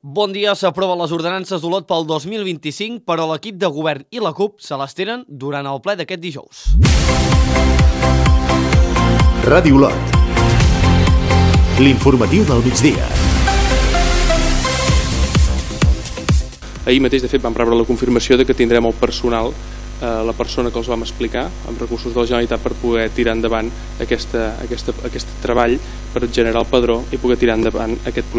Bon dia, s'aproven les ordenances d'Olot pel 2025, però l'equip de govern i la CUP se les tenen durant el ple d'aquest dijous. Ràdio Olot. L'informatiu del migdia. Ahir mateix, de fet, vam rebre la confirmació de que tindrem el personal, la persona que els vam explicar, amb recursos de la Generalitat, per poder tirar endavant aquest treball per generar el padró i poder tirar endavant aquest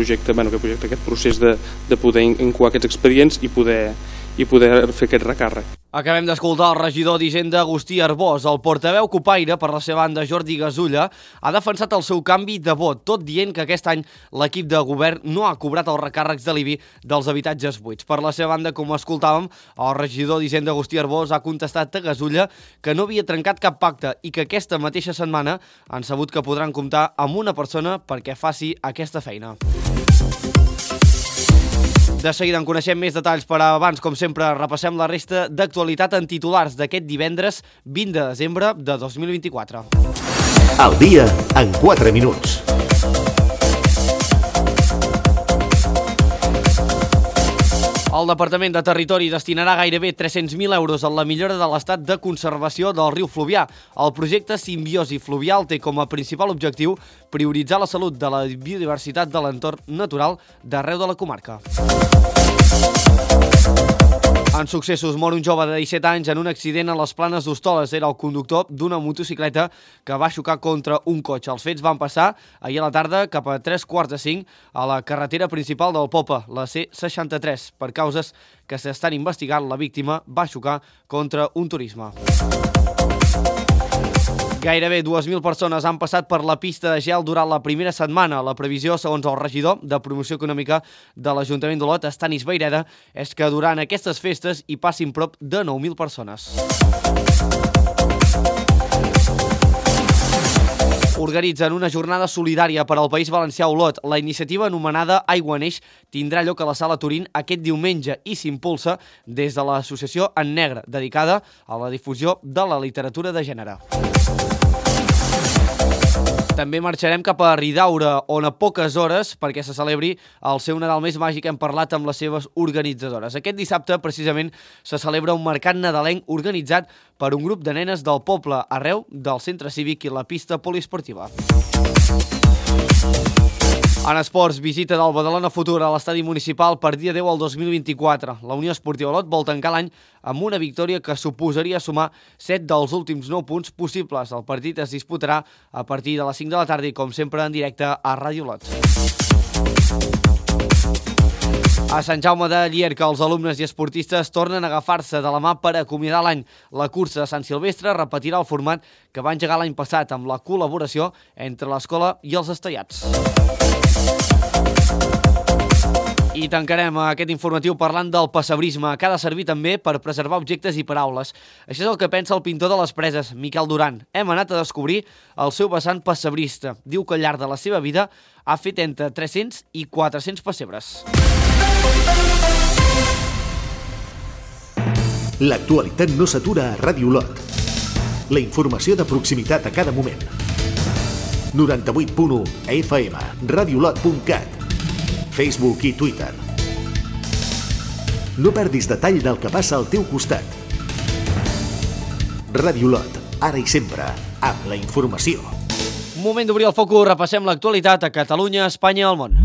procés de poder incoar aquests expedients i poder fer aquest recàrrec. Acabem d'escoltar el regidor d'Hisenda Agustí Arbós. El portaveu cupaire, per la seva banda Jordi Gasulla, ha defensat el seu canvi de vot, tot dient que aquest any l'equip de govern no ha cobrat els recàrrecs de l'IBI dels habitatges buits. Per la seva banda, com escoltàvem, el regidor d'Hisenda Agustí Arbós ha contestat a Gasulla que no havia trencat cap pacte i que aquesta mateixa setmana han sabut que podran comptar amb una persona perquè faci aquesta feina. De seguida en coneixem més detalls, però abans, com sempre, repassem la resta d'actualitat en titulars d'aquest divendres 20 de desembre de 2024. Al dia en 4 minuts. El Departament de Territori destinarà gairebé 300.000 euros a la millora de l'estat de conservació del riu Fluvià. El projecte Simbiosi Fluvial té com a principal objectiu prioritzar la salut de la biodiversitat de l'entorn natural d'arreu de la comarca. En successos, mor un jove de 17 anys en un accident a les Planes d'Hostoles. Era el conductor d'una motocicleta que va xocar contra un cotxe. Els fets van passar ahir a la tarda cap a 3:45 a la carretera principal del Popa, la C63. Per causes que s'estan investigant, la víctima va xocar contra un turisme. Gairebé 2.000 persones han passat per la pista de gel durant la primera setmana. La previsió, segons el regidor de Promoció Econòmica de l'Ajuntament d'Olot, Estanis Vayreda, és que durant aquestes festes hi passin prop de 9.000 persones. Organitzen una jornada solidària per al País Valencià a Olot. La iniciativa anomenada Aigua Neix tindrà lloc a la Sala Turín aquest diumenge i s'impulsa des de l'associació En Negre, dedicada a la difusió de la literatura de gènere. També marxarem cap a Ridaura, on a poques hores, perquè se celebri el seu Nadal més màgic, hem parlat amb les seves organitzadores. Aquest dissabte, precisament, se celebra un mercat nadalenc organitzat per un grup de nenes del poble arreu del centre cívic i la pista poliesportiva. En esports, visita del Badalona Futur a l'estadi municipal per dia 10 al 2024. La Unió Esportiva Olot vol tancar l'any amb una victòria que suposaria sumar 7 dels últims 9 punts possibles. El partit es disputarà a partir de les 5 de la tarda i, com sempre, en directe a Ràdio Olot. A Sant Jaume de Llierca, els alumnes i esportistes tornen a agafar-se de la mà per acomiadar l'any. La cursa de Sant Silvestre repetirà el format que va engegar l'any passat amb la col·laboració entre l'escola i els estellats. I tancarem aquest informatiu parlant del pessebrisme, que ha de servir també per preservar objectes i paraules. Això és el que pensa el pintor de les Preses, Miquel Duran. Hem anat a descobrir el seu vessant pessebrista. Diu que al llarg de la seva vida ha fet entre 300 i 400 pessebres. L'actualitat no s'atura a Ràdio Olot. La informació de proximitat a cada moment. 98.1 FM, radiolot.cat, Facebook i Twitter. No perdis detall del que passa al teu costat. Ràdio Olot, ara i sempre, amb la informació. Moment d'obrir el focus, repassem l'actualitat a Catalunya, Espanya i al món.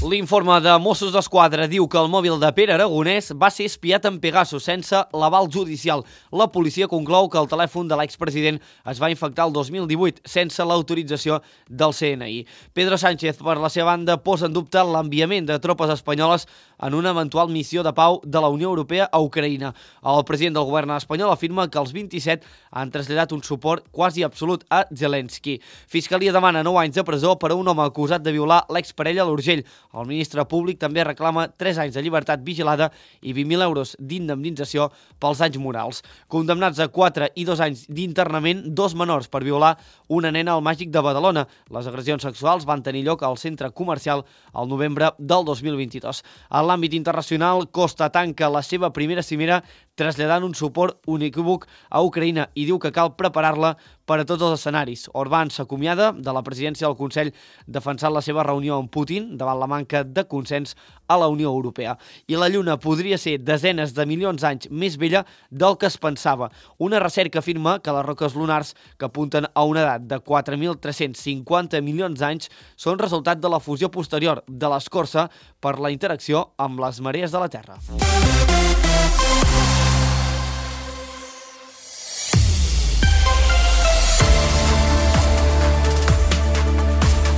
L'informe de Mossos d'Esquadra diu que el mòbil de Pere Aragonès va ser espiat en Pegasus sense l'aval judicial. La policia conclou que el telèfon de l'expresident es va infectar el 2018 sense l'autorització del CNI. Pedro Sánchez, per la seva banda, posa en dubte l'enviament de tropes espanyoles en una eventual missió de pau de la Unió Europea a Ucraïna. El president del govern espanyol afirma que els 27 han traslladat un suport quasi absolut a Zelensky. Fiscalia demana 9 anys de presó per a un home acusat de violar l'exparella a l'Urgell. El ministre públic també reclama 3 anys de llibertat vigilada i 20.000 euros d'indemnització pels danys morals. Condemnats a 4 i 2 anys d'internament, 2 menors per violar una nena al Màgic de Badalona. Les agressions sexuals van tenir lloc al centre comercial al novembre del 2022. En l'àmbit internacional, Costa tanca la seva primera cimera traslladant un suport unequívoc a Ucraïna i diu que cal preparar-la per a tots els escenaris. Orbán s'acomiada de la presidència del Consell defensant la seva reunió amb Putin davant la manca de consens a la Unió Europea. I la Lluna podria ser desenes de milions d'anys més vella del que es pensava. Una recerca afirma que les roques lunars, que apunten a una edat de 4.350 milions d'anys, són resultat de la fusió posterior de l'escorça per la interacció amb les marees de la Terra.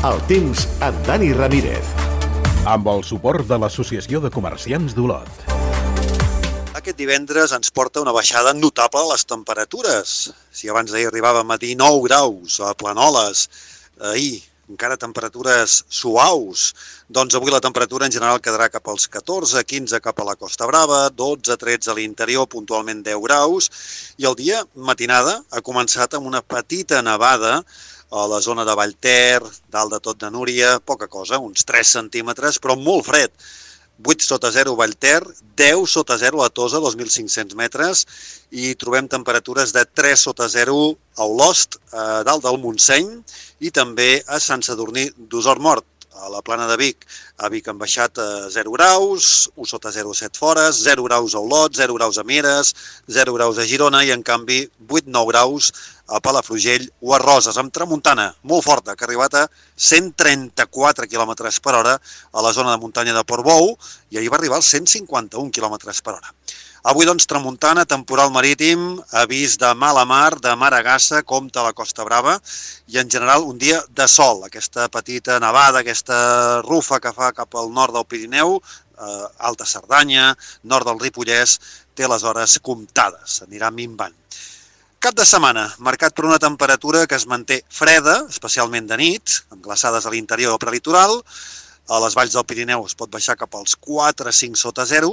El temps amb Dani Ramírez. Amb el suport de l'Associació de Comerciants d'Olot. Aquest divendres ens porta una baixada notable a les temperatures. Si abans d'ahir arribàvem a 19 graus a Planoles, ahir encara temperatures suaus, doncs avui la temperatura en general quedarà cap als 14, 15 cap a la Costa Brava, 12, 13 a l'interior, puntualment 10 graus, i el dia, matinada, ha començat amb una petita nevada a la zona de Vallter, dalt de tot de Núria, poca cosa, uns 3 centímetres, però molt fred. 8 sota 0 Vallter, 10 sota 0 a Tosa, 2.500 metres, i trobem temperatures de 3 sota 0 a Olost, dalt del Montseny, i també a Sant Sadurní d'Osormort, a la Plana de Vic. A Vic han baixat a 0 graus, 1 sota 0 a 7 Fores, 0 graus a Olot, 0 graus a Mieres, 0 graus a Girona i, en canvi, 8-9 graus a Palafrugell o a Roses, amb tramuntana molt forta, que ha arribat a 134 km per hora a la zona de muntanya de Portbou i ahir va arribar als 151 km per hora. Avui, doncs, tramuntana, temporal marítim, avís de mala mar, de maragassa, compte a la Costa Brava, i en general un dia de sol. Aquesta petita nevada, aquesta rufa que fa cap al nord del Pirineu, Alta Cerdanya, nord del Ripollès, té les hores comptades, anirà minvant. Cap de setmana, marcat per una temperatura que es manté freda, especialment de nit, amb glaçades a l'interior del prelitoral. A les valls del Pirineu es pot baixar cap als 4-5 sota 0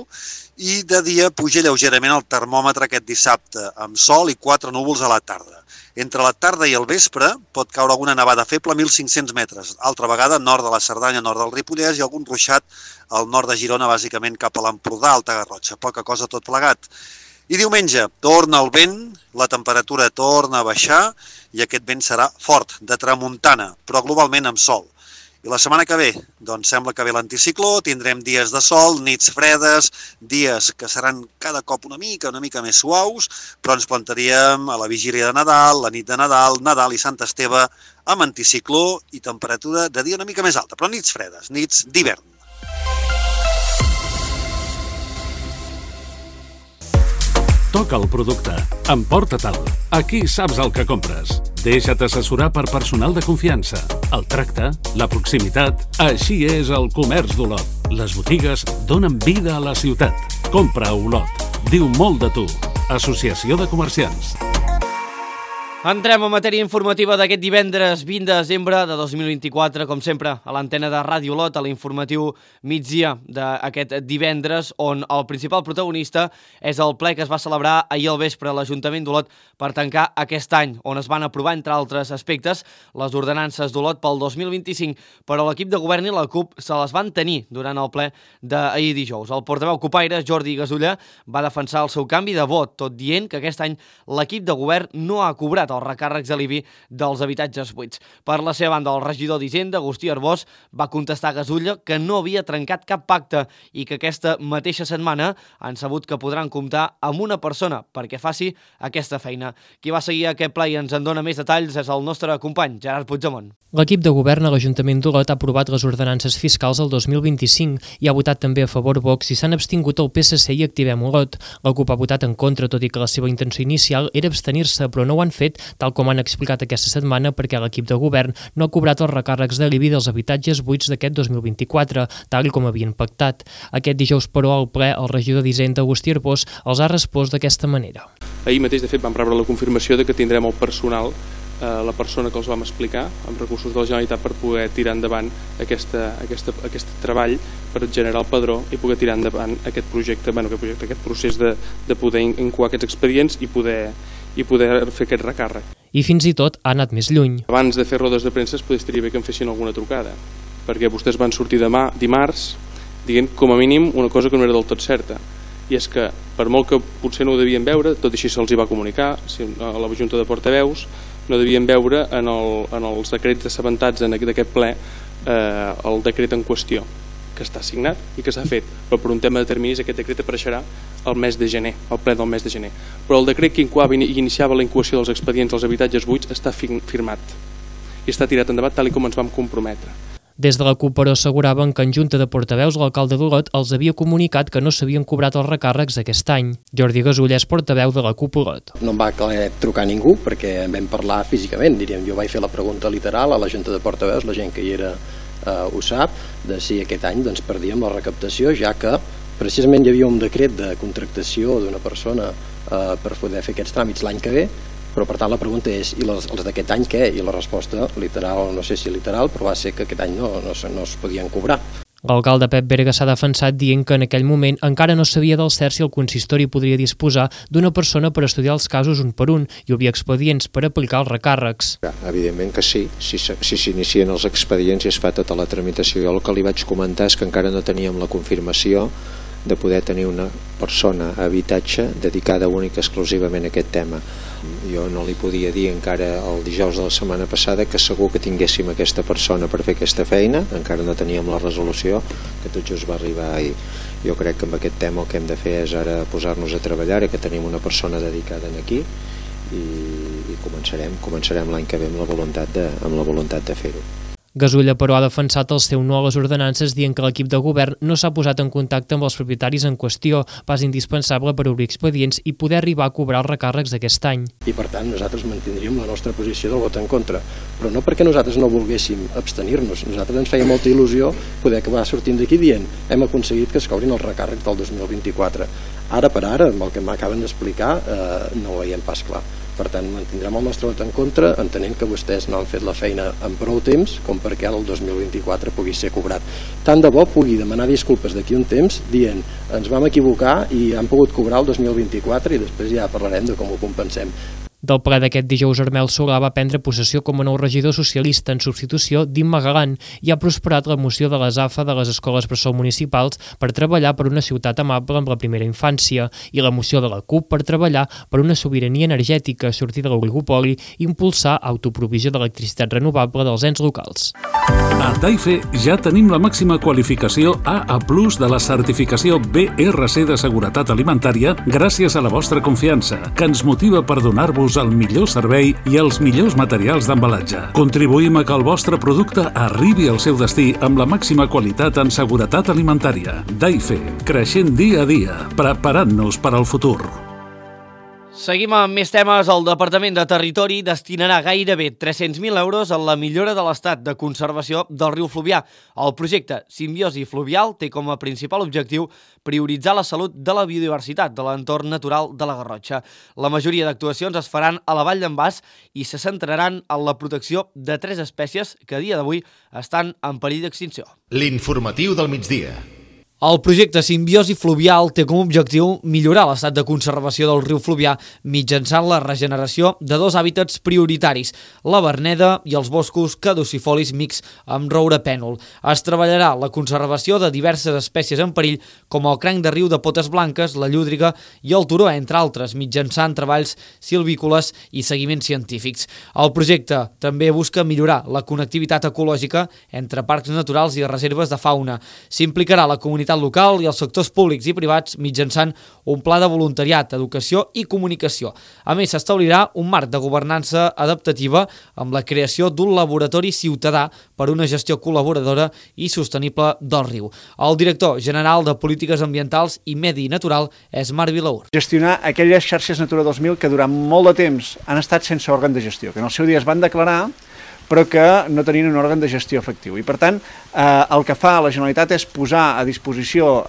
i de dia puja lleugerament el termòmetre aquest dissabte, amb sol i 4 núvols a la tarda. Entre la tarda i el vespre pot caure alguna nevada feble a 1.500 metres, altra vegada nord de la Cerdanya, nord del Ripollès i algun ruixat al nord de Girona, bàsicament cap a l'Empordà, Alta Garrotxa, poca cosa tot plegat. I diumenge torna el vent, la temperatura torna a baixar i aquest vent serà fort, de tramuntana, però globalment amb sol. I la setmana que ve, doncs sembla que ve l'anticicló, tindrem dies de sol, nits fredes, dies que seran cada cop una mica més suaus, però ens plantaríem a la vigília de Nadal, la nit de Nadal, Nadal i Sant Esteve, amb anticicló i temperatura de dia una mica més alta, però nits fredes, nits d'hivern. Toca el producte. Emporta-te'l. Aquí saps el que compres. Deixa't assessorar per personal de confiança. El tracte, la proximitat... Així és el comerç d'Olot. Les botigues donen vida a la ciutat. Compra a Olot. Diu molt de tu. Associació de Comerciants. Entrem en matèria informativa d'aquest divendres 20 de desembre de 2024, com sempre, a l'antena de Ràdio Olot, a l'informatiu migdia d'aquest divendres, on el principal protagonista és el ple que es va celebrar ahir al vespre a l'Ajuntament d'Olot per tancar aquest any, on es van aprovar, entre altres aspectes, les ordenances d'Olot pel 2025, però l'equip de govern i la CUP se les van tenir durant el ple d'ahir dijous. El portaveu cupaire, Jordi Gasulla, va defensar el seu canvi de vot, tot dient que aquest any l'equip de govern no ha cobrat els recàrrecs de l'IBI dels habitatges buits. Per la seva banda, el regidor d'Hisenda, Agustí Arbós, va contestar a Gasulla que no havia trencat cap pacte i que aquesta mateixa setmana han sabut que podran comptar amb una persona perquè faci aquesta feina. Qui va seguir aquest ple i ens en dona més detalls és el nostre company, Gerard Puigdemont. L'equip de govern a l'Ajuntament d'Olot ha aprovat les ordenances fiscals del 2025 i ha votat també a favor Vox i s'han abstingut el PSC i Activem Olot. La CUP ha votat en contra, tot i que la seva intenció inicial era abstenir-se, però no ho han fet, tal com han explicat aquesta setmana, perquè l'equip de govern no ha cobrat els recàrrecs de l'IBI dels habitatges buits d'aquest 2024, tal com havien pactat. Aquest dijous, però, al ple, el regidor d'Hisenda, Agustí Arbós, els ha respost d'aquesta manera. Ahir mateix, de fet, vam rebre la confirmació de que tindrem el personal, la persona que els vam explicar, amb recursos de la Generalitat, per poder tirar endavant aquest treball per generar el padró i poder tirar endavant aquest projecte, aquest procés de poder incoar aquests expedients i poder fer aquest recàrrec. I fins i tot ha anat més lluny. Abans de fer rodes de premsa potser estaria bé que em fessin alguna trucada, perquè vostès van sortir dimarts dient com a mínim una cosa que no era del tot certa, i és que, per molt que potser no ho devien veure, tot així se'ls va comunicar a la Junta de Portaveus, no devien veure en els decrets assabentats d'aquest ple el decret en qüestió, que està signat i que s'ha fet, però per un tema de terminis aquest decret apareixerà al mes de gener, al ple del mes de gener. Però el decret que iniciava la incoació dels expedients als habitatges buits està firmat i està tirat endavant tal com ens vam comprometre. Des de la CUP, però, asseguraven que en Junta de Portaveus l'alcalde d'Olot els havia comunicat que no s'havien cobrat els recàrrecs aquest any. Jordi Gasull és portaveu de la CUP Olot. No em va trucar ningú perquè en vam parlar físicament, diríem. Jo vaig fer la pregunta literal a la Junta de Portaveus, la gent que hi era ho sap, de si aquest any perdíem la recaptació, ja que precisament hi havia un decret de contractació d'una persona per poder fer aquests tràmits l'any que ve, però per tant la pregunta és, i els d'aquest any què? I la resposta literal, no sé si literal, però va ser que aquest any no es podien cobrar. L'alcalde Pep Berga s'ha defensat dient que en aquell moment encara no sabia del cert si el consistori podria disposar d'una persona per estudiar els casos un per un i obrir expedients per aplicar els recàrrecs. Evidentment que sí, si s'inicien els expedients i es fa tota la tramitació. Jo el que li vaig comentar és que encara no teníem la confirmació de poder tenir una persona a habitatge dedicada única exclusivament a aquest tema. Jo no li podia dir encara el dijous de la setmana passada que segur que tinguéssim aquesta persona per fer aquesta feina, encara no teníem la resolució, que tot just va arribar ahir. Jo crec que amb aquest tema el que hem de fer és ara posar-nos a treballar, que tenim una persona dedicada aquí i començarem l'any que ve amb la voluntat de fer-ho. Gasull, però, ha defensat el seu no a les ordenances dient que l'equip de govern no s'ha posat en contacte amb els propietaris en qüestió, pas indispensable per obrir expedients i poder arribar a cobrar els recàrrecs d'aquest any. I per tant nosaltres mantindríem la nostra posició del vot en contra, però no perquè nosaltres no volguéssim abstenir-nos, nosaltres ens feia molta il·lusió poder acabar sortint d'aquí dient hem aconseguit que es cobrin els recàrrecs del 2024. Ara per ara, amb el que m'acaben d'explicar, no ho veiem pas clar. Per tant, mantindrem el nostre vot en contra, entenent que vostès no han fet la feina en prou temps com perquè ara el 2024 pugui ser cobrat. Tant de bo pugui demanar disculpes d'aquí un temps dient ens vam equivocar i han pogut cobrar el 2024 i després ja parlarem de com ho compensem. Del ple d'aquest dijous, Armel Solà va prendre possessió com a nou regidor socialista en substitució d'Imma Galan i ha prosperat la moció de les AFA de les escoles bressol municipals per treballar per una ciutat amable amb la primera infància i la moció de la CUP per treballar per una sobirania energètica, sortir de l'oligopoli i impulsar autoprovisió d'electricitat renovable dels ens locals. A Taife ja tenim la màxima qualificació AA+ de la certificació BRC de seguretat alimentària gràcies a la vostra confiança, que ens motiva per donar-vos el millor servei i els millors materials d'embalatge. Contribuïm a que el vostre producte arribi al seu destí amb la màxima qualitat en seguretat alimentària. Taife, creixent dia a dia, preparant-nos per al futur. Seguim amb més temes. El Departament de Territori destinarà gairebé 300.000 euros a la millora de l'estat de conservació del riu Fluvià. El projecte Simbiosi Fluvial té com a principal objectiu prioritzar la salut de la biodiversitat de l'entorn natural de la Garrotxa. La majoria d'actuacions es faran a la Vall d'en Bas i se centraran en la protecció de 3 espècies que a dia d'avui estan en perill d'extinció. L'informatiu del migdia. El projecte Simbiosi Fluvial té com a objectiu millorar l'estat de conservació del riu Fluvià mitjançant la regeneració de 2 hàbitats prioritaris, la verneda i els boscos caducifolis mixts amb roure pènol. Es treballarà la conservació de diverses espècies en perill, com el cranc de riu de potes blanques, la llúdriga i el turó, entre altres, mitjançant treballs silvícoles i seguiments científics. El projecte també busca millorar la connectivitat ecològica entre parcs naturals i reserves de fauna. S'implicarà la comunitat local i els sectors públics i privats mitjançant un pla de voluntariat, educació i comunicació. A més, s'establirà un marc de governança adaptativa amb la creació d'un laboratori ciutadà per una gestió col·laboradora i sostenible del riu. El director general de Polítiques Ambientals i Medi Natural és Marc Vilaur. Gestionar aquelles xarxes Natura 2000 que durant molt de temps han estat sense òrgan de gestió, que en el seu dia es van declarar però que no tenien un òrgan de gestió efectiu. I per tant, el que fa la Generalitat és posar a disposició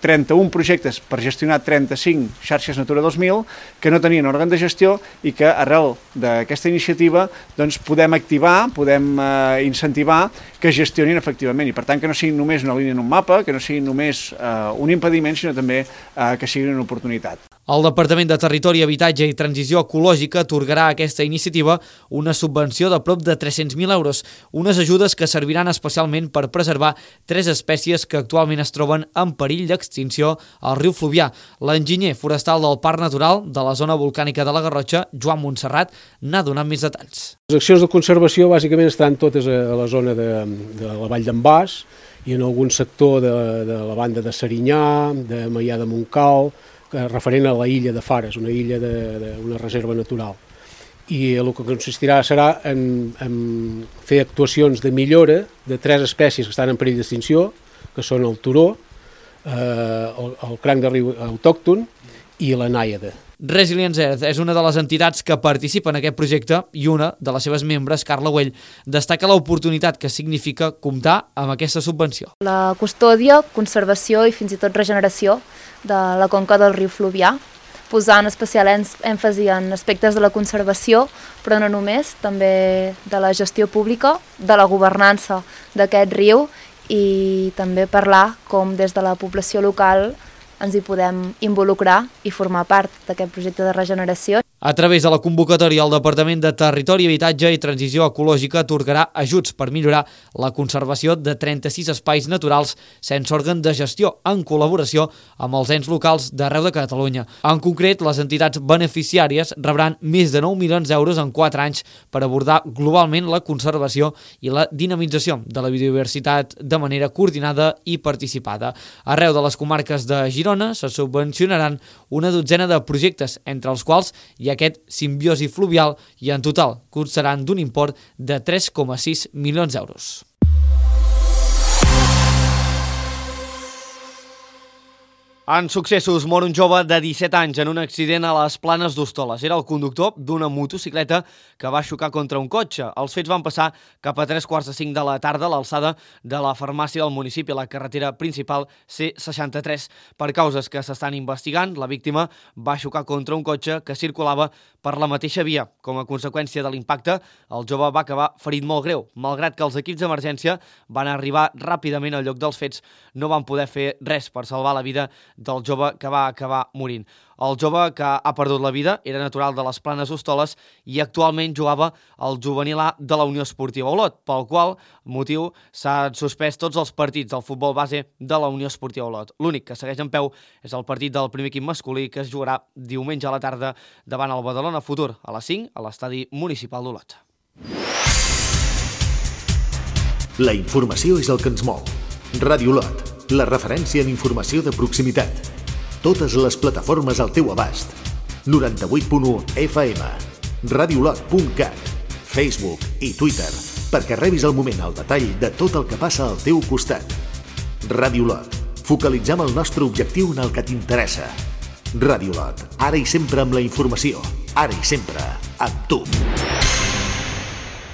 31 projectes per gestionar 35 xarxes Natura 2000 que no tenien òrgan de gestió i que arrel d'aquesta iniciativa doncs, podem activar, podem incentivar que gestionin efectivament i per tant que no siguin només una línia en un mapa, que no siguin només un impediment, sinó també que siguin una oportunitat. El Departament de Territori, Habitatge i Transició Ecològica atorgarà a aquesta iniciativa una subvenció de prop de 300.000 euros, unes ajudes que serviran especialment per preservar 3 espècies que actualment es troben en perill d'extinció al riu Fluvià. L'enginyer forestal del Parc Natural de la zona volcànica de la Garrotxa, Joan Montserrat, n'ha donat més detalls. Les accions de conservació bàsicament estan totes a la zona de la Vall d'en Bas i en algun sector de la banda de Serinyà, de Maià de Montcal, referent a la illa de Fares, una illa d'una reserva natural. I el que consistirà serà en fer actuacions de millora de 3 espècies que estan en perill d'extinció, que són el turó, el cranc de riu autòcton i la nàiada. Resilience Earth és una de les entitats que participa en aquest projecte i una de les seves membres, Carla Güell, destaca l'oportunitat que significa comptar amb aquesta subvenció. La custòdia, conservació i fins i tot regeneració de la conca del riu Fluvià, posant especial èmfasi en aspectes de la conservació, però no només, també de la gestió pública, de la governança d'aquest riu i també parlar com des de la població local ens hi podem involucrar i formar part d'aquest projecte de regeneració. A través de la convocatòria, el Departament de Territori, Habitatge i Transició Ecològica atorgarà ajuts per millorar la conservació de 36 espais naturals sense òrgan de gestió, en col·laboració amb els ens locals d'arreu de Catalunya. En concret, les entitats beneficiàries rebran més de 9 milions d'euros en 4 anys per abordar globalment la conservació i la dinamització de la biodiversitat de manera coordinada i participada. Arreu de les comarques de Girona se subvencionaran una dotzena de projectes, entre els quals hi ha aquest simbiosi fluvial i en total constaran d'un import de 3,6 milions d'euros. En successos, mor un jove de 17 anys en un accident a les Planes d'Hostoles. Era el conductor d'una motocicleta que va xocar contra un cotxe. Els fets van passar cap a 3:45 de la tarda a l'alçada de la farmàcia del municipi, a la carretera principal C63. Per causes que s'estan investigant, la víctima va xocar contra un cotxe que circulava per la mateixa via. Com a conseqüència de l'impacte, el jove va acabar ferit molt greu. Malgrat que els equips d'emergència van arribar ràpidament al lloc dels fets, no van poder fer res per salvar la vida del jove que va acabar morint. El jove que ha perdut la vida era natural de les Planes d'Hostoles i actualment jugava al juvenil A de la Unió Esportiva Olot, pel qual motiu s'han suspès tots els partits del futbol base de la Unió Esportiva Olot. L'únic que segueix en peu és el partit del primer equip masculí que es jugarà diumenge a la tarda davant el Badalona Futur a les 5 a l'estadi municipal d'Olot. La informació és el que ens mou. Ràdio Olot, la referència en informació de proximitat. Totes les plataformes al teu abast. 98.1 FM, radiolot.cat, Facebook i Twitter, perquè rebis al moment el detall de tot el que passa al teu costat. Ràdio Olot, focalitzem el nostre objectiu en el que t'interessa. Ràdio Olot, ara i sempre amb la informació, ara i sempre amb tu.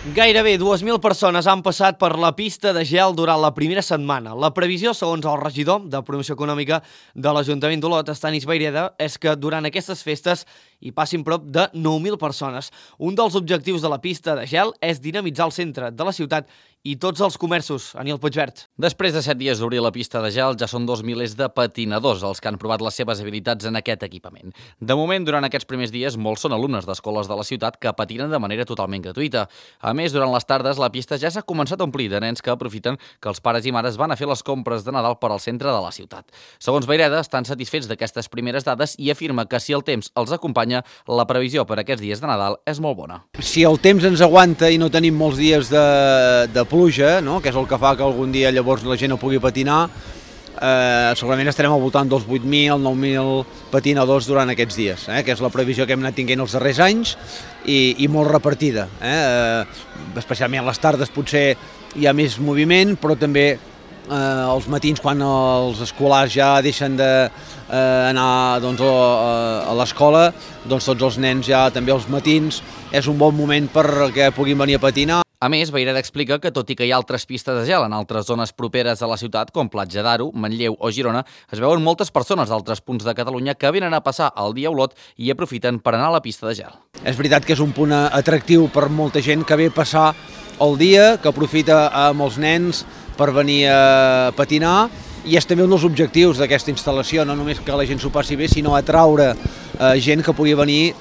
Gairebé 2.000 persones han passat per la pista de gel durant la primera setmana. La previsió, segons el regidor de Promoció Econòmica de l'Ajuntament d'Olot, Estanis Vayreda, és que durant aquestes festes hi passin prop de 9.000 persones. Un dels objectius de la pista de gel és dinamitzar el centre de la ciutat i tots els comerços. Aniel Puigvert. Després de 7 dies d'obrir la pista de gel, ja són 2 milers de patinadors els que han provat les seves habilitats en aquest equipament. De moment, durant aquests primers dies, molts són alumnes d'escoles de la ciutat que patinen de manera totalment gratuïta. A més, durant les tardes, la pista ja s'ha començat a omplir de nens que aprofiten que els pares i mares van a fer les compres de Nadal per al centre de la ciutat. Segons Vayreda, estan satisfets d'aquestes primeres dades i afirma que si el temps els acompanya, la previsió per aquests dies de Nadal és molt bona. Si el temps ens aguanta i no tenim molts dies de pluja, no? Que és el que fa que algun dia llavors la gent no pugui patinar, segurament estarem al voltant dels 8.000, 9.000 patinadors durant aquests dies, que és la previsió que hem anat tinguent els darrers anys i molt repartida. Especialment a les tardes potser hi ha més moviment, però també els matins quan els escolars ja deixen d'anar a l'escola, doncs tots els nens ja també els matins és un bon moment perquè puguin venir a patinar. A més, Vayreda explica que tot i que hi ha altres pistes de gel en altres zones properes a la ciutat, com Platja d'Aro, Manlleu o Girona, es veuen moltes persones d'altres punts de Catalunya que venen a passar el dia a Olot i aprofiten per anar a la pista de gel. És veritat que és un punt atractiu per molta gent que ve a passar el dia, que aprofita amb els nens per venir a patinar i és també un dels objectius d'aquesta instal·lació, no només que la gent s'ho passi bé, sinó atraure gent que pugui venir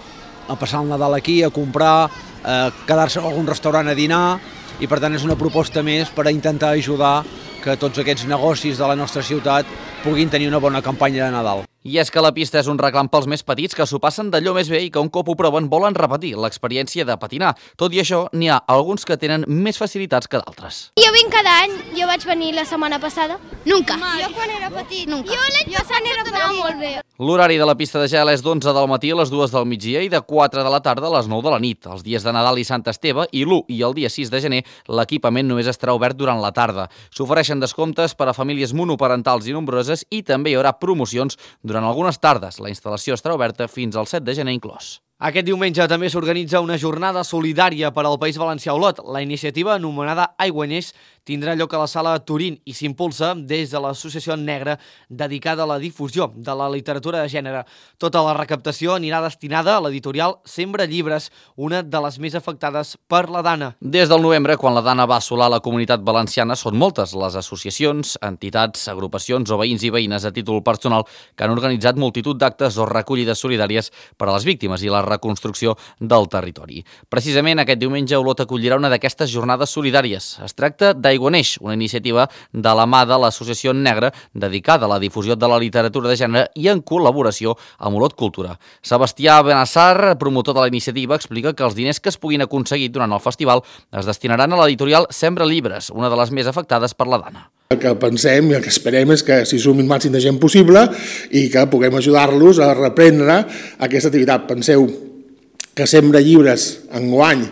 a passar el Nadal aquí, a comprar, a quedar-se a algun restaurant a dinar, i per tant és una proposta més per a intentar ajudar que tots aquests negocis de la nostra ciutat puguin tenir una bona campanya de Nadal. I és que la pista és un reclam pels més petits que s'ho passen d'allò més bé i que un cop ho proven volen repetir l'experiència de patinar. Tot i això, n'hi ha alguns que tenen més facilitats que d'altres. Jo vinc cada any, jo vaig venir la setmana passada. Nunca. Jo quan era petit, nunca. Jo l'any passat era molt bé. L'horari de la pista de gel és d'11 del matí a les 2 del migdia i de 4 de la tarda a les 9 de la nit. Els dies de Nadal i Sant Esteve i l'1 i el dia 6 de gener l'equipament només estarà obert durant la tarda. S'ofereixen descomptes per a famílies monoparentals i nombroses i també hi haurà promocions durant algunes tardes. La instal·lació estarà oberta fins al 7 de gener inclòs. Aquest diumenge també s'organitza una jornada solidària per al País Valencià Olot. La iniciativa, anomenada Aiguaneix, tindrà lloc a la sala Turín i s'impulsa des de l'Associació Negra dedicada a la difusió de la literatura de gènere. Tota la recaptació anirà destinada a l'editorial Sembra Llibres, una de les més afectades per la Dana. Des del novembre, quan la Dana va assolar la comunitat valenciana, són moltes les associacions, entitats, agrupacions o veïns i veïnes a títol personal que han organitzat multitud d'actes o recollides solidàries per a les víctimes i la reconstrucció del territori. Precisament aquest diumenge Olot acollirà una d'aquestes jornades solidàries. Es tracta d'Aiguaneix, una iniciativa de la mà de l'Associació Negra dedicada a la difusió de la literatura de gènere i en col·laboració amb Olot Cultura. Sebastià Benassar, promotor de la iniciativa, explica que els diners que es puguin aconseguir durant el festival es destinaran a l'editorial Sembra Llibres, una de les més afectades per la Dana. El que pensem i el que esperem és que s'hi sumin el màxim de gent possible i que puguem ajudar-los a reprendre aquesta activitat. Penseu que Sembra Llibres enguany,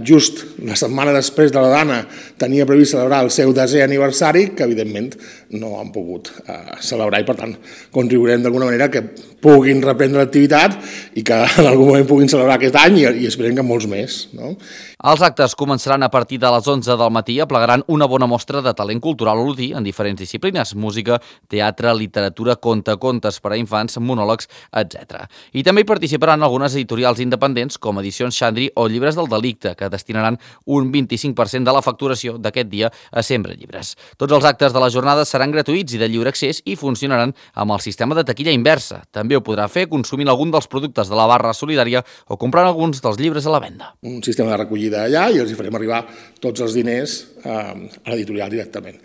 just la setmana després de la Dana, tenia previst celebrar el seu 10è aniversari, que evidentment no han pogut celebrar i per tant contribuirem d'alguna manera que puguin reprendre l'activitat i que en algun moment puguin celebrar aquest any i esperem que molts més. No? Els actes començaran a partir de les 11 del matí i aplegaran una bona mostra de talent cultural olotí en diferents disciplines: música, teatre, literatura, contes per a infants, monòlegs, etc. I també hi participaran algunes editorials independents com Edicions Xandri o Llibres del Delicte, que destinaran un 25% de la facturació d'aquest dia a Sembra Llibres. Tots els actes de la jornada seran gratuïts i de lliure accés i funcionaran amb el sistema de taquilla inversa. També ho podrà fer consumint algun dels productes de la barra solidària o comprant alguns dels llibres a la venda. Un sistema de recollida allà i els farem arribar tots els diners a l'editorial directament.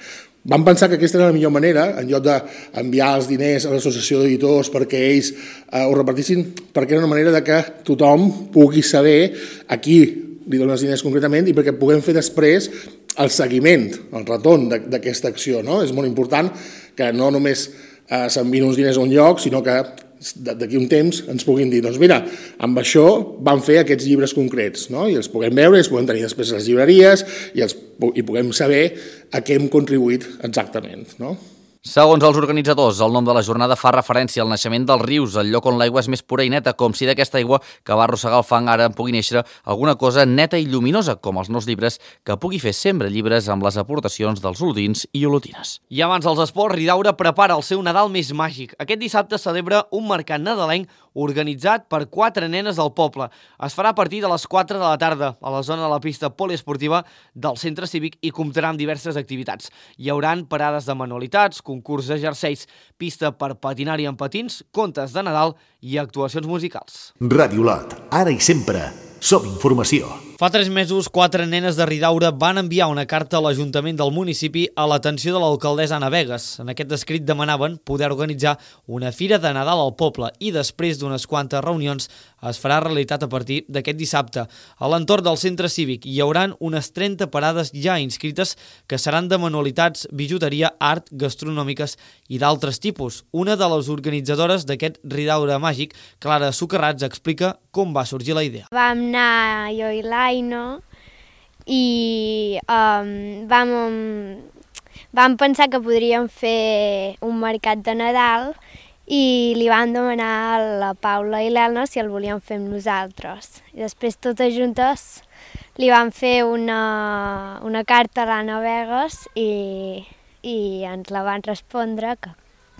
Vam pensar que aquesta era la millor manera, en lloc d'enviar els diners a l'associació d'editors perquè ells ho repartissin, perquè era una manera de que tothom pugui saber a qui li donen els diners concretament i perquè puguem fer després el seguiment, el retorn d'aquesta acció. No? És molt important que no només s'envien uns diners a un lloc, sinó que d'aquí un temps ens puguin dir, doncs mira, amb això vam fer aquests llibres concrets, no? I els puguem veure, els puguem tenir després a les llibreries i puguem saber a què hem contribuït exactament, no? Segons els organitzadors, el nom de la jornada fa referència al naixement dels rius, el lloc on l'aigua és més pura i neta, com si d'aquesta aigua que va arrossegar el fang ara en pugui néixer alguna cosa neta i lluminosa, com els nous llibres, que pugui fer Sembra Llibres amb les aportacions dels olotins i olotines. I abans dels esports, Ridaura prepara el seu Nadal més màgic. Aquest dissabte celebra un mercat nadalenc organitzat per 4 nenes del poble. Es farà a partir de les 4 de la tarda a la zona de la pista poliesportiva del centre cívic i comptarà amb diverses activitats. Hi hauran parades de manualitats, concurs de jerseis, pista per patinar-hi en patins, contes de Nadal i actuacions musicals. Ràdio Olot, ara i sempre, som informació. Fa 3 mesos, 4 nenes de Ridaura van enviar una carta a l'Ajuntament del municipi a l'atenció de l'alcaldessa Anna Vegas. En aquest escrit demanaven poder organitzar una fira de Nadal al poble i després d'unes quantes reunions es farà realitat a partir d'aquest dissabte. A l'entorn del centre cívic hi hauran unes 30 parades ja inscrites que seran de manualitats, bijuteria, art, gastronòmiques i d'altres tipus. Una de les organitzadores d'aquest Ridaura màgic, Clara Socarrats, explica com va sorgir la idea. Vam anar jo i l'Aino i vam pensar que podríem fer un mercat de Nadal i li vam demanar a la Paula i l'Elna si el volien fer amb nosaltres. I després, totes juntes, li vam fer una carta a l'Anna Vegas i ens la van respondre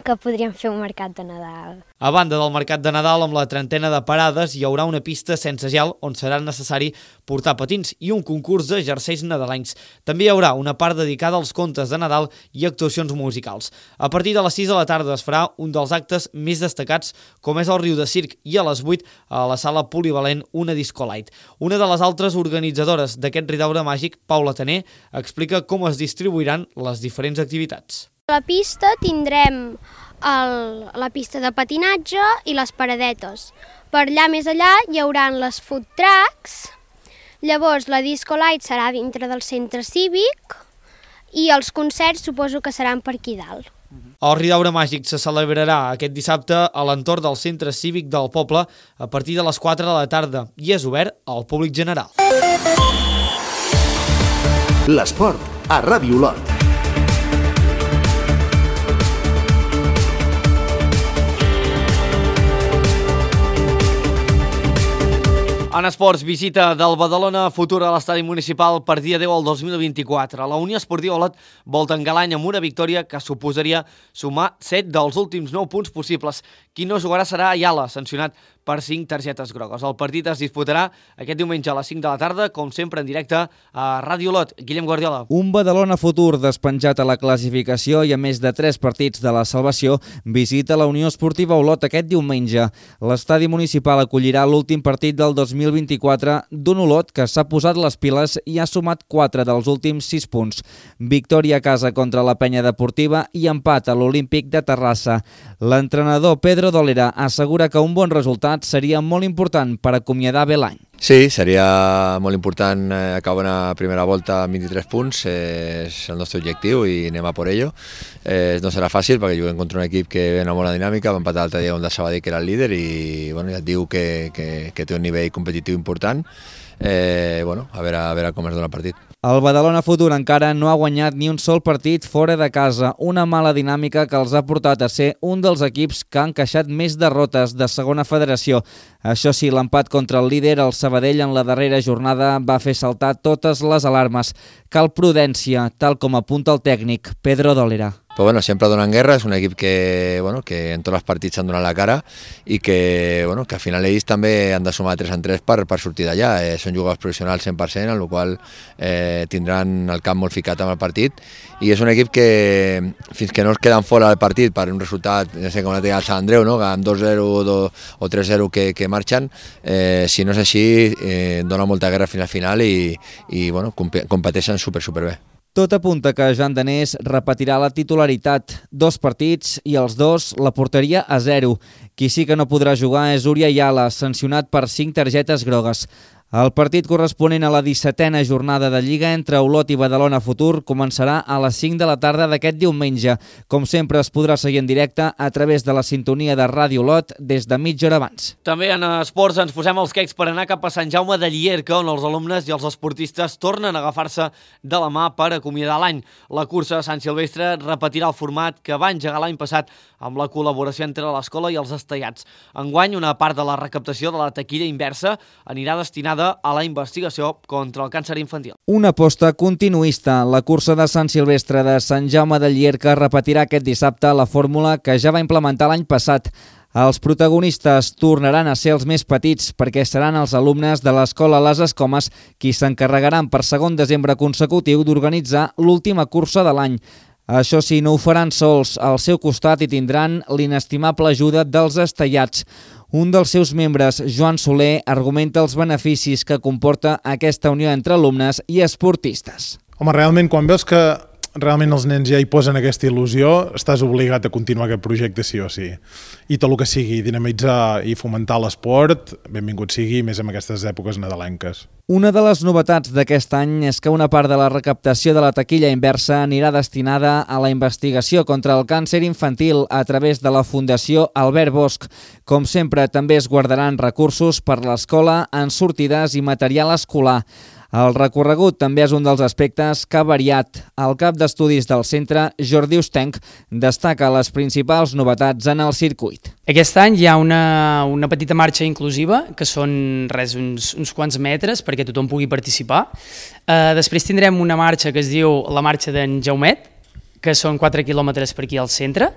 que podríem fer un mercat de Nadal. A banda del mercat de Nadal, amb la 30ena de parades, hi haurà una pista sense gel on serà necessari portar patins i un concurs de jerseis nadalencs. També hi haurà una part dedicada als contes de Nadal i actuacions musicals. A partir de les 6 de la tarda es farà un dels actes més destacats, com és el Riu de Circ, i a les 8 a la sala polivalent una disco light. Una de les altres organitzadores d'aquest ridaure màgic, Paula Taner, explica com es distribuiran les diferents activitats. A la pista tindrem la pista de patinatge i les paradetes. Per allà més allà hi haurà les food trucks, llavors la disco light serà dintre del centre cívic i els concerts suposo que seran per aquí dalt. El ridaure màgic se celebrarà aquest dissabte a l'entorn del centre cívic del poble a partir de les 4 de la tarda i és obert al públic general. L'esport a Ràdio Olot. En esports, visita del Badalona Futur a l'estadi municipal per dia 10 al 2024. La Unió Esportiva Olot vol tancar l'any amb una victòria que suposaria sumar 7 dels últims 9 punts possibles. Qui no jugarà serà Ayala, sancionat per 5 targetes grogues. El partit es disputarà aquest diumenge a les 5 de la tarda, com sempre en directe a Ràdio Olot. Guillem Guardiola. Un Badalona Futur despenjat a la classificació i a més de 3 partits de la salvació visita la Unió Esportiva Olot aquest diumenge. L'estadi municipal acollirà l'últim partit del 2024 d'un Olot que s'ha posat les piles i ha sumat 4 dels últims 6 punts. Victòria a casa contra la Penya Deportiva i empat a l'Olímpic de Terrassa. L'entrenador Pedro Dolera assegura que un bon resultat seria molt important per acomiadar bé l'any. Sí, seria molt important acabar una primera volta amb 23 punts, és el nostre objectiu i anem a por ello. No serà fàcil perquè juguem contra un equip que ve una bona dinàmica, va empatar l'altre dia contra el Sabadell que era el líder i bueno, ja et diu que té un nivell competitiu important. A veure com es dona el partit. El Badalona Futur encara no ha guanyat ni un sol partit fora de casa, una mala dinàmica que els ha portat a ser un dels equips que han encaixat més derrotes de segona federació. Això sí, l'empat contra el líder, el Sabadell, en la darrera jornada va fer saltar totes les alarmes. Cal prudència, tal com apunta el tècnic Pedro Dolera. Però sempre donen guerra, és un equip que en tots els partits han donat la cara i que al final ells també han de sumar 3 en 3 per sortir d'allà. Són jugadors professionals 100%, en el qual tindran el camp molt ficat amb el partit i és un equip que fins que no es queden fora del partit per un resultat, no sé com la té el Sant Andreu, no? Amb 2-0 o 3-0 que marxen, si no és així dona molta guerra fins al final i competeixen superbé. Tot apunta que Joan Danés repetirà la titularitat, 2 partits i els 2 la porteria a 0. Qui sí que no podrà jugar és Uri Ayala, sancionat per 5 targetes grogues. El partit corresponent a la 17a jornada de Lliga entre Olot i Badalona Futur començarà a les 5 de la tarda d'aquest diumenge. Com sempre es podrà seguir en directe a través de la sintonia de Ràdio Olot des de mitja hora abans. També en esports ens posem els quecs per anar cap a Sant Jaume de Llierca, on els alumnes i els esportistes tornen a agafar-se de la mà per acomiadar l'any. La cursa de Sant Silvestre repetirà el format que va engegar l'any passat amb la col·laboració entre l'escola i els estellats. Enguany, una part de la recaptació de la taquilla inversa anirà destinada a la investigació contra el càncer infantil. Una aposta continuista. La cursa de Sant Silvestre de Sant Jaume de Llierca repetirà aquest dissabte la fórmula que ja va implementar l'any passat. Els protagonistes tornaran a ser els més petits perquè seran els alumnes de l'escola Les Escomes qui s'encarregaran per 2 desembre consecutiu d'organitzar l'última cursa de l'any. Això sí, no ho faran sols. Al seu costat hi tindran l'inestimable ajuda dels estellats. Un dels seus membres, Joan Soler, argumenta els beneficis que comporta aquesta unió entre alumnes i esportistes. Home, realment, quan veus que realment els nens ja hi posen aquesta il·lusió, estàs obligat a continuar aquest projecte sí o sí. I tot el que sigui dinamitzar i fomentar l'esport, benvingut sigui, més en aquestes èpoques nadalenques. Una de les novetats d'aquest any és que una part de la recaptació de la taquilla inversa anirà destinada a la investigació contra el càncer infantil a través de la Fundació Albert Bosch. Com sempre, també es guardaran recursos per l'escola en sortides i material escolar. El recorregut també és un dels aspectes que ha variat. El cap d'estudis del centre, Jordi Ostenc, destaca les principals novetats en el circuit. Aquest any hi ha una petita marxa inclusiva, que són uns quants metres perquè tothom pugui participar. Després tindrem una marxa que es diu la marxa d'en Jaumet, que són 4 quilòmetres per aquí al centre,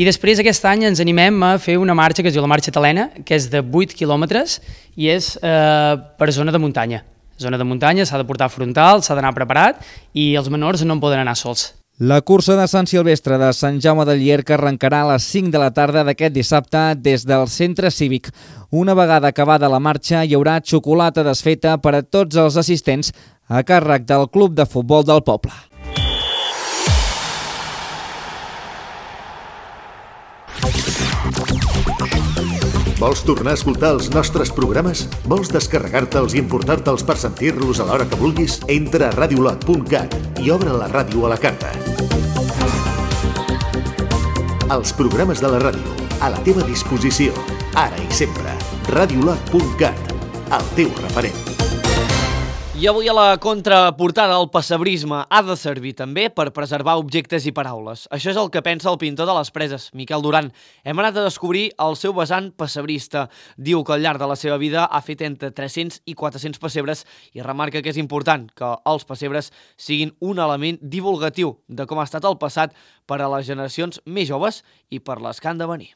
I després aquest any ens animem a fer una marxa que es diu la Marxa Talena, que és de 8 quilòmetres i és per zona de muntanya. Zona de muntanya, s'ha de portar frontal, s'ha d'anar preparat i els menors no en poden anar sols. La cursa de Sant Silvestre de Sant Jaume de Llierca arrencarà a les 5 de la tarda d'aquest dissabte des del centre cívic. Una vegada acabada la marxa hi haurà xocolata desfeta per a tots els assistents a càrrec del Club de Futbol del poble. Vols tornar a escoltar els nostres programes? Vols descarregar-te'ls i emportar-te'ls per sentir-los a l'hora que vulguis? Entra a radiolot.cat i obre la ràdio a la carta. Els programes de la ràdio, a la teva disposició, ara i sempre. Radiolot.cat, el teu referent. I avui a la contraportada el pessebrisme ha de servir també per preservar objectes i paraules. Això és el que pensa el pintor de les Preses, Miquel Duran. Hem anat a descobrir el seu vessant pessebrista. Diu que al llarg de la seva vida ha fet entre 300 i 400 pessebres i remarca que és important que els pessebres siguin un element divulgatiu de com ha estat el passat per a les generacions més joves i per les que han de venir.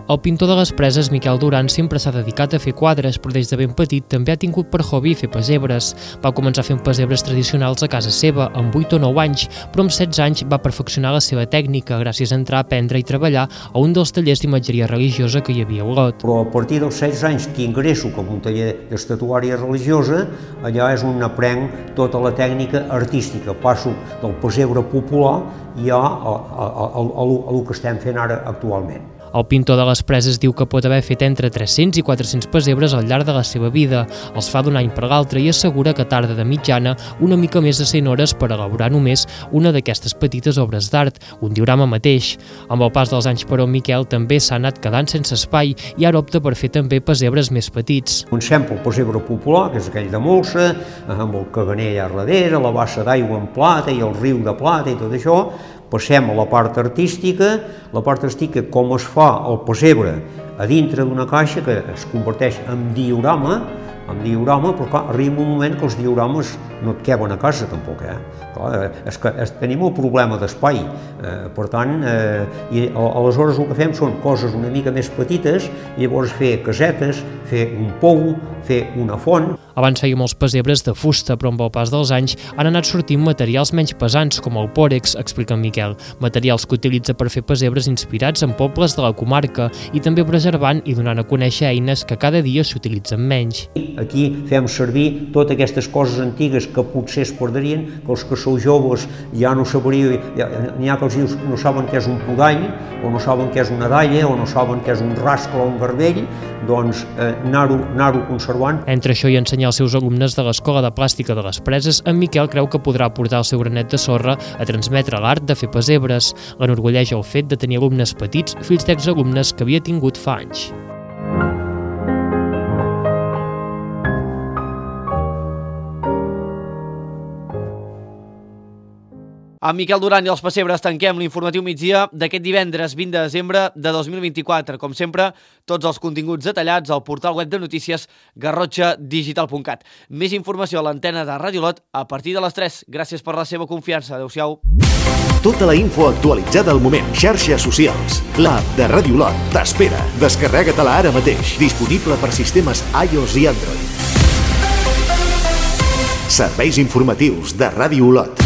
El pintor de les Preses, Miquel Duran, sempre s'ha dedicat a fer quadres, però des de ben petit també ha tingut per hobby fer pessebres. Va començar fent pessebres tradicionals a casa seva, amb 8 o 9 anys, però amb 16 anys va perfeccionar la seva tècnica gràcies a entrar a aprendre i treballar a un dels tallers d'imatgeria religiosa que hi havia a Olot. Però a partir dels 16 anys que ingresso com un taller d'estatuària religiosa, allà és on aprenc tota la tècnica artística. Passo del pessebre popular ja al que estem fent ara actualment. El pintor de les Preses diu que pot haver fet entre 300 i 400 pessebres al llarg de la seva vida. Els fa d'un any per l'altre i assegura que tarda de mitjana una mica més de 100 hores per elaborar només una d'aquestes petites obres d'art, un diorama mateix. Amb el pas dels anys, però, Miquel també s'ha anat quedant sense espai i ara opta per fer també pessebres més petits. Comencem pel pessebre popular, que és aquell de molsa, amb el caganer allà darrere, la bassa d'aigua en plata i el riu de plata i tot això. Passem a la part artística com es fa el pessebre a dintre d'una caixa que es converteix en diorama, però clar, arriba un moment que els diorames no et queben a casa tampoc. Clar, és que tenim el problema d'espai, per tant, i aleshores el que fem són coses una mica més petites, i llavors fer casetes, fer un pou, fer una font. Abans feia molts pessebres de fusta, però amb el pas dels anys han anat sortint materials menys pesants, com el pòrex, explica en Miquel, materials que utilitza per fer pessebres inspirats en pobles de la comarca i també preservant i donant a conèixer eines que cada dia s'utilitzen menys. Aquí fem servir totes aquestes coses antigues que potser es perdrien, que els que sou joves ja no sabríeu, n'hi ha que els dius no saben què és un podall, o no saben què és una dalla, o no saben què és un rascle o un garbell, doncs anar-ho conservant. Entre això i ensenyar als seus alumnes de l'Escola de Plàstica de les Preses, en Miquel creu que podrà aportar el seu granet de sorra a transmetre l'art de fer pessebres. L'enorgulleix el fet de tenir alumnes petits, fills d'exalumnes que havia tingut fa anys. Amb Miquel Duran i els pessebres tanquem l'informatiu migdia d'aquest divendres 20 de desembre de 2024. Com sempre, tots els continguts detallats al portal web de notícies garrotxadigital.cat. Més informació a l'antena de Ràdio Olot a partir de les 3. Gràcies per la seva confiança. Adéu-siau. Tota la info actualitzada al moment. Xarxes socials. L'app de Ràdio Olot t'espera. Descarrega-te-la ara mateix. Disponible per sistemes iOS i Android. Serveis informatius de Ràdio Olot.